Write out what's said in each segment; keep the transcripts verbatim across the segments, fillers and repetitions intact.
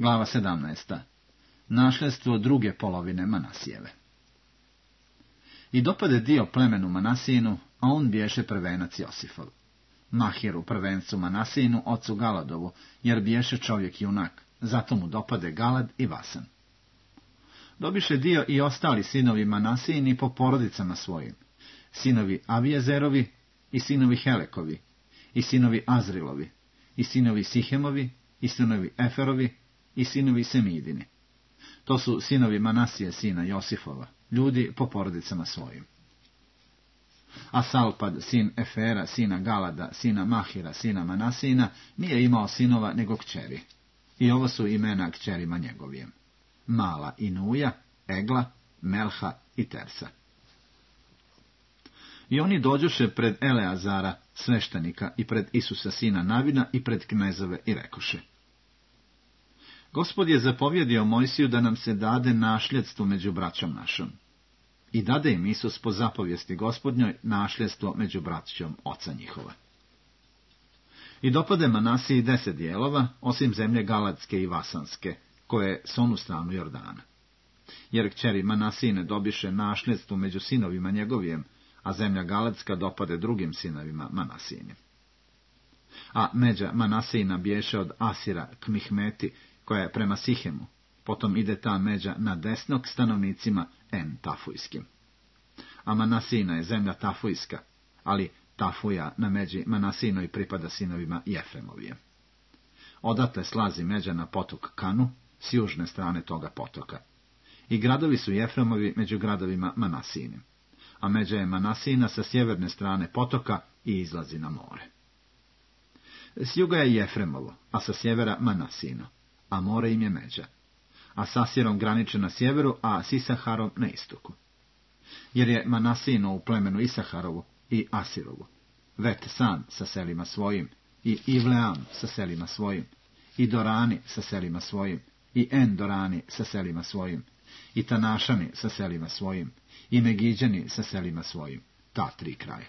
Glava sedamnaesta. Našljedstvo druge polovine Manasijeve. I dopade dio plemenu Manasijinu, a on biješe prvenac Josifov. Mahiru prvencu Manasijinu, ocu Galadovu, jer biješe čovjek junak, zato mu dopade Galad i Vasan. Dobiše dio i ostali sinovi Manasijini po porodicama svojim, sinovi Avijezerovi i sinovi Helekovi, i sinovi Azrilovi, i sinovi Sihemovi, i sinovi Eferovi, i sinovi Semidini. To su sinovi Manasije, sina Josifova, ljudi po porodicama svojim. A Salpad, sin Efera, sina Galada, sina Mahira, sina Manasijina, nije imao sinova nego kćeri. I ovo su imena kćerima njegovijem: Mala i Nuja, Egla, Melha i Tersa. I oni dođoše pred Eleazara, sveštenika, i pred Isusa sina Navina, i pred knezove, i rekoše: Gospod je zapovjedio Mojsiju da nam se dade našljedstvo među braćom našom. I dade im Isus po zapovijesti Gospodnjoj našljedstvo među braćom oca njihova. I dopade Manasiji deset dijelova, osim zemlje Galadske i Vasanske, koje je s onu stranu Jordana. Jer kćeri Manasijine dobiše našljedstvo među sinovima njegovijem, a zemlja Galadska dopade drugim sinovima Manasijinim. A međa Manasijina biješe od Asira k Mihmeti, koja je prema Sihemu, potom ide ta međa na desno k stanovnicima En Tafujskim. A Manasijina je zemlja Tafujska, ali Tafuja na međi Manasijinoj pripada sinovima Jefremovije. Odatle slazi međa na potok Kanu, s južne strane toga potoka. I gradovi su Jefremovi među gradovima Manasijinim, a međa je Manasijina sa sjeverne strane potoka i izlazi na more. S juga je Jefremovo, a sa sjevera Manasijino, a more im je međa. A s Asirom graniče na sjeveru, a s Isaharom na istoku. Jer je Manasijino u plemenu Isaharovu i Asirovu, Vet San sa selima svojim, i Ivleam sa selima svojim, i Dorani sa selima svojim, i Endorani sa selima svojim, i Tanašani sa selima svojim, i Megiđani sa selima svojim, ta tri kraja.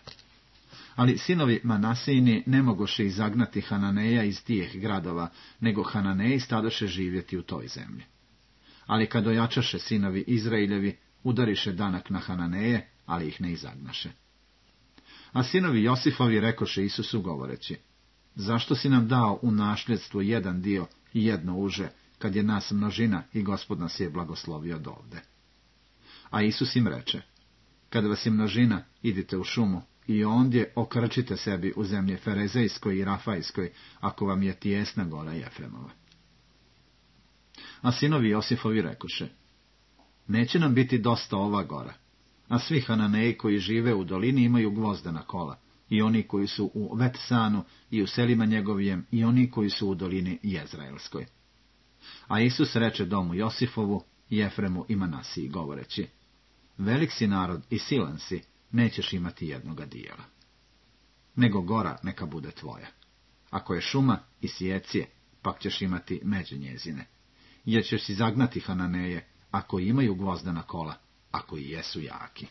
Ali sinovi Manasijini ne mogoše izagnati Hananeja iz tih gradova, nego Hananeji stadoše živjeti u toj zemlji. Ali kad ojačaše sinovi Izrailjevi, udariše danak na Hananeje, ali ih ne izagnaše. A sinovi Josifovi rekoše Isusu govoreći: Zašto si nam dao u našljedstvo jedan dio i jedno uže, kad je nas množina i Gospod nas je blagoslovio od ovde? A Isus im reče: Kad vas je množina, idite u šumu i ondje okrčite sebi u zemlje Ferezejskoj i Rafajskoj, ako vam je tijesna gora Jefremova. A sinovi Josifovi rekoše: Neće nam biti dosta ova gora, a svi Hananeji koji žive u dolini imaju gvozdena kola, i oni koji su u Vetsanu i u selima njegovijem, i oni koji su u dolini Jezraelskoj. A Isus reče domu Josifovu, Jefremu i Manasiji govoreći: Velik si narod i silan si, nećeš imati jednoga dijela. Nego gora neka bude tvoja. Ako je šuma i sjecije, pak ćeš imati međe njezine, jer ćeš si zagnati Hananeje, ako imaju gvozdena kola, ako i jesu jaki.